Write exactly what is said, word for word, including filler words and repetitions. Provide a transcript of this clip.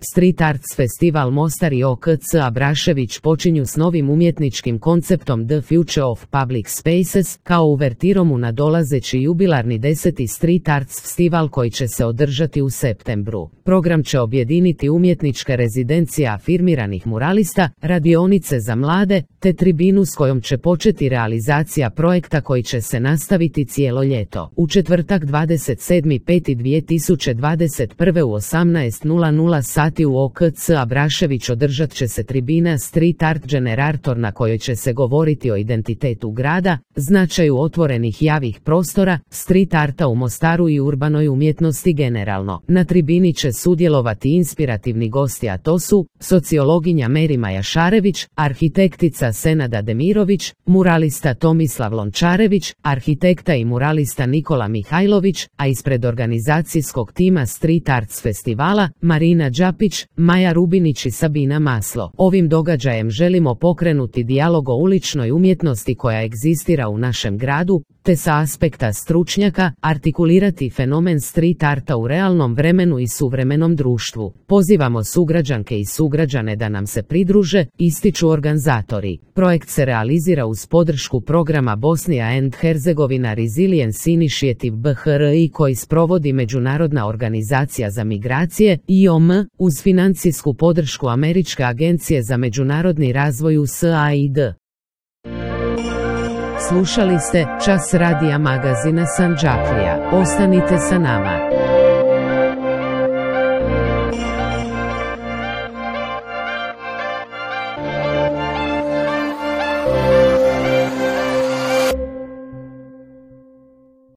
Street Arts Festival Mostar i O K C Abrašević počinju s novim umjetničkim konceptom The Future of Public Spaces, kao uvertirom u nadolazeći jubilarni deseti Street Arts Festival koji će se održati u septembru. Program će objediniti umjetničke rezidencije afirmiranih muralista, radionice za mlade, te tribinu s kojom će početi realizacija projekta koji će se nastaviti cijelo ljeto. U četvrtak dvadeset sedmi peti dvije tisuće dvadeset prve u osamnaest sati u O K C Abrašević održat će se tribina Street Art Generator na kojoj će se govoriti o identitetu grada, značaju otvorenih javnih prostora, street arta u Mostaru i urbanoj umjetnosti generalno. Na tribini će sudjelovati inspirativni gosti, a to su sociologinja Merima Jašarević, arhitektica Senada Demirović, muralista Tomislav Lončarević, arhitekta i muralista Nikola Mihajlović, a ispred organizacijskog tima Street Arts Festivala Marina Đapić, Maja Rubinić i Sabina Maslo. Ovim događajem želimo pokrenuti dijalog o uličnoj umjetnosti koja egzistira u našem gradu, te sa aspekta stručnjaka artikulirati fenomen street arta u realnom vremenu i suvremenom društvu. Pozivamo sugrađanke i sugrađane da nam se pridruže, ističu organizatori. Projekt se realizira uz podršku programa Bosnia and Herzegovina Resilience Initiative B H R I koji sprovodi Međunarodna organizacija za migracije I O M uz financijsku podršku Američke agencije za međunarodni razvoj U S A I D. Slušali ste Čas radija magazina Sandžaklija. Ostanite sa nama.